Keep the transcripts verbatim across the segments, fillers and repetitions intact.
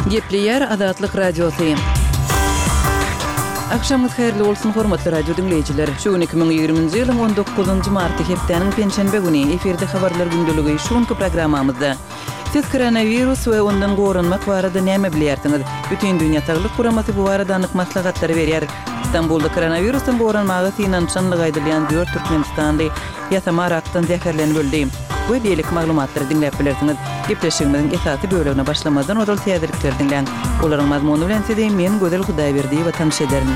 Gepleýär Azatlyk Radiosy. Agşamyňyz haýyrly bolsun, hormatly radio diňleýjiler. Şu gün iki müň ýigriminji ýylyň on dokuzynjy marty, hepdäniň penşenbe güni, efirde Habarlar gündeligi. Şu günki programmamyzda Siz koronawirus we ondan goranmak barada näme bilýärsiňiz? Bütindünýä Saglyk Guramasy bu barada anyk maslahatlary berýär. Stambulda koronawirusdan goranmaga synanyşanlygy aýdylýan dört türkmenistanly ýasama arakdan zäherlenip öldi. We beýleki maglumatlary diňläp bilersiňiz. Gepleşigimiziň esasy bölegine başlamazdan ozal täzelikleri diňläň. Olaryň mazmuny bilen sizi men Gözel Hudaýberdiýewa tanyş ederin.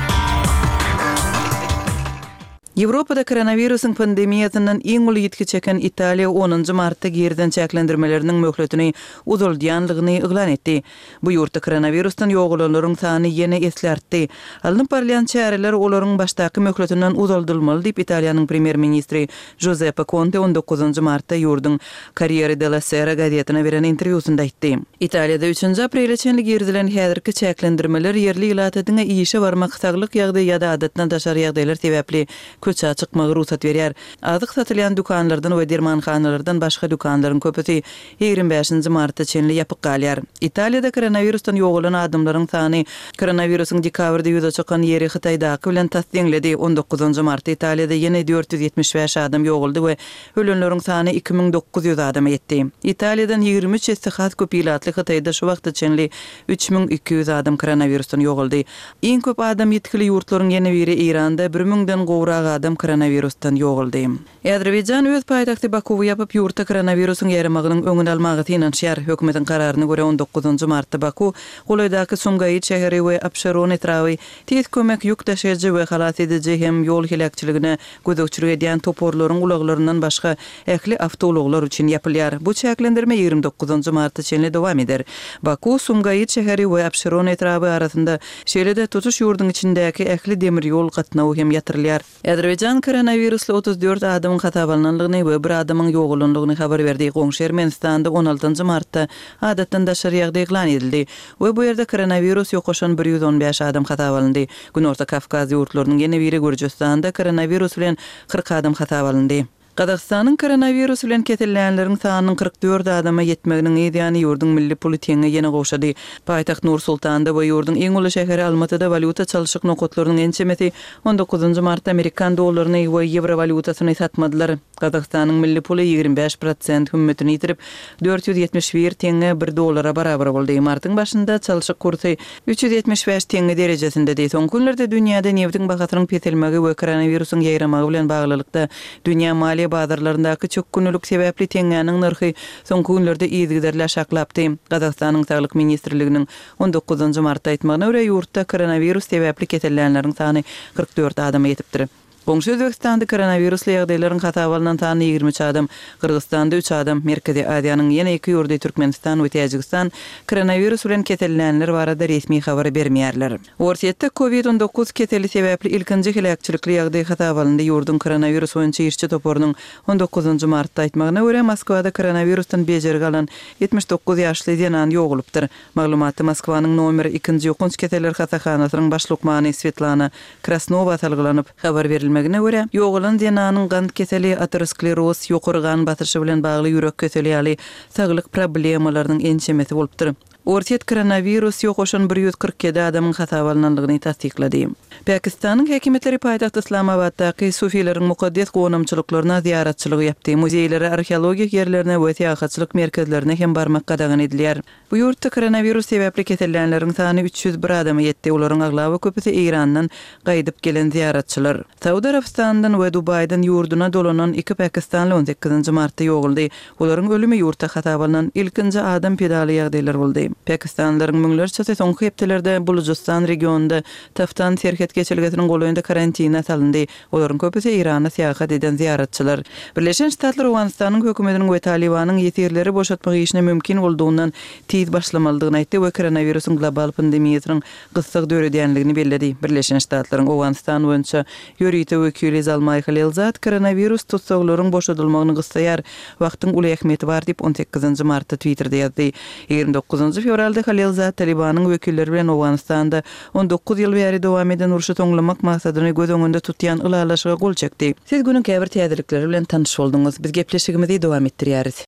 Ýewropada koronawirusyň pandemiýasyndan iň uly ýitgi çeken Italiýa onunjy martda girizen çäklendirmeleriniň möhletini uzaldýanlygyny yglan etdi. Bu ýurtda koronawirusdan ýogalanlaryň sany ýene esli artdy. Alnyp barylýan çäreler olaryň başdaky möhletinden uzaldylmaly diýip, Italiýanyň premýer-ministri Juzeppe Konte on dokuzynjy martda ýurduň Corriere della Sera gazetine beren interwýusynda aýtdy. Italiýada üçünji aprele çenli girizilen häzirki çäklendirmeler ýerli ilata diňe işe barmak, saglyk ýagdaýy ýa-da adatdan daşary ýagdaýlar sebäpli köçä çykmagy rugsat berýär. Azyk satylýan dükanlardan we dermanhanalardan başga dükanlaryň köpüsi ýigrimi bäşinji marta çenli ýapyk galýar. Italiýada koronawirusdan ýogalan adamlaryň sany koronawirusyň dekabrda ýüze çykan ýeri Hytaýdaky bilen tas deňledi. On dokuzynjy martda Italiýada ýene dört ýüz ýetmiş bäş adam ýogaldy we ölenleriň sany iki müň dokuz ýüz adama ýetdi. Italiýadan ýigrimi üç esse has köp ilatly Hytaýda şu wagta çenli üç müň iki ýüz adam koronawirusdan ýogaldy. Iň köp adam ýitgili ýurtlaryň ýene biri Eýranda bir müňden gowrak adam koronawirusdan ýogaldy. Azerbaýjan öz paýtagty Bakuwy ýapyp, ýurtda koronawirusyň ýaýramagynyň öňüni almaga synanyşýar. Hökümetiň kararyna görä, on dokuzynjy martda Baku, golaýdaky Sumgaýyt şäheri we Abşeron etraby tiz kömek, ýük daşaýjy we halas ediji hem ýol heläkçiligine gözegçilik edýän toparlaryň ulaglaryndan başga ähli awtoulaglar üçin ýapylýar. Bu çäklendirme ýigrimi dokuzynjy marta çenli dowam eder. Baku, Sumgaýyt şäheri we Abşeron etraby arasynda, şeýle-de tutuş ýurduň içindäki ähli demir ýol gatnawy hem ýatyrylýar. Azerbaýjan koronawirusly otuz dört adamyň hasaba alnandygyny we bir adamyň ýogalandygyny habar berdi. Goňşy Ermenistanda on altynjy martda adatdan daşary ýagdaý yglan edildi we bu ýerde koronawirus ýokaşan bir ýüz on bäş adam hasaba alyndy. Günorta Kawkaz ýurtlarynyň ýene biri Gürjüstanda koronawirus bilen kyrk adam hasaba alyndy. Gazagystanyň koronawirus bilen kesellänleriň sanynyň kyrk dört adama ýetmeginiň yz ýany ýurduň milli puly teňňe ýene gowşady. Paýtagt Nur-Sultanda we ýurduň iň uly şäheri Almatyda walýuta çalşyk nokatlarynyň ençemesi on dokuzynjy martda amerikan dollaryny we ýewro walýutasyny satmadylar. Gazagystanyň milli puly ýigrimi bäş prosent hümmetini ýitirip, dört ýüz ýetmiş bir teňňe bir dollara barabar boldy. Martyň başynda çalşyk kursy üç ýüz ýetmiş bäş teňňe derejesindedi. Soňky günlerde dünýäde nebitiň bahasynyň peselmegi we koronawirusyň ýaýramagy bilen baglylykda dünýä maliýe bazarlaryndaky çökgünlilik sebäpli teňňäniň nyrhy soňky günlerde yzygiderli aşaklapdy. Gazagystanyň Saglyk ministrliginiň on dokuzynjy martda aýtmagyna görä, ýurtda koronawirus sebäpli kesellänleriň sany kyrk dört adama ýetipdir. Goňşy Özbegistanda koronawirusly ýagdaýlaryň hasaba alnan sany ýigrimi üç adam, Gyrgyzystanda üç adam, Merkezi Aziýanyň ýene iki ýurdy Türkmenistan we Täjigistan koronawirus bilen kesellänler barada resmi habar bermeýärler. Orsýetde Covid on dokuz keseli sebäpli ilkinji heläkçilikli ýagdaý hasaba alyndy. Ýurduň koronawirus boýunça işçi toparynyň on dokuzynjy martda aýtmagyna görä, Moskwada koronawirusdan bejergi alan ýetmiş dokuz ýaşly zenan ýogalypdyr. Maglumatda Moskwanyň nomer ikinji ýokanç keseller hassahanasynyň baş lukmany Swetlana Krasnowa salgylanyp habar berilmegine görä, ýogalan zenanyň gant keseli, ateroskleroz, ýokary gan basyşy bilen bagly ýürek keseli ýaly saglyk problemalarynyň ençemesi bolupdyr. Orsýet koronawirus ýokaşan bir ýüz kyrk ýedi adamyň hasaba alnandygyny tassyklady. Pakistanyň häkimiýetleri paýtagt Yslamabatdaky sufileriň mukaddes gonamçylyklaryna zyýaratçylygy ýapdy. Muzeýlere, arheologik ýerlerine we syýahatçylyk merkezlerine hem barmak gadagan edilýär. Bu ýurtda koronawirus sebäpli kesellänleriň sany üç ýüz bir adama ýetdi, olaryň aglaba köpüsi Eýrandan gaýdyp gelen zyýaratçylar. Saud Arabystanyndan we Dubaýdan ýurduna dolanan iki pakistanly on sekizinji martda ýogaldy. Olaryň ölümi ýurtda hasaba alnan ilkinji adam pedaly ýagdaýlar boldy. Pakistanlylaryň müňlerçesi soňky hepdelerde Bulujystan regionynda Taftan serhet geçelgesiniň golaýynda karantina salyndy. Olaryň köpüsi Eýrana syýahat eden zyýaratçylar. Birleşen Ştatlar Owganystanyň hökümetiniň we Talybanyň ýesirleri boşatmak işine mümkin boldugyndan tiz başlamalydygyny aýtdy we koronawirusyň global pandemiýasynyň gyssag döredýänligini belledi. Birleşen Ştatlaryň Owganystan boýunça ýörite wekili Zalmaý Halilzad koronawirus tussaglaryň boşadylmagyny gyssaýar, wagtyň uly ähmiýeti bar diýip, on sekizinji martda Twitterde ýazdy. Ýigrimi dokuzynjy fewralda Halilzad Talybanyň wekilleri bilen Owganystanda on dokuz ýyl bäri dowam eden urşy soňlamak maksadyny göz öňünde tutýan ylalaşyga gol çekdi. Siz günüň käbir täzelikleri bilen tanyş bolduňyz. Biz gepleşigimizi dowam etdirýäris.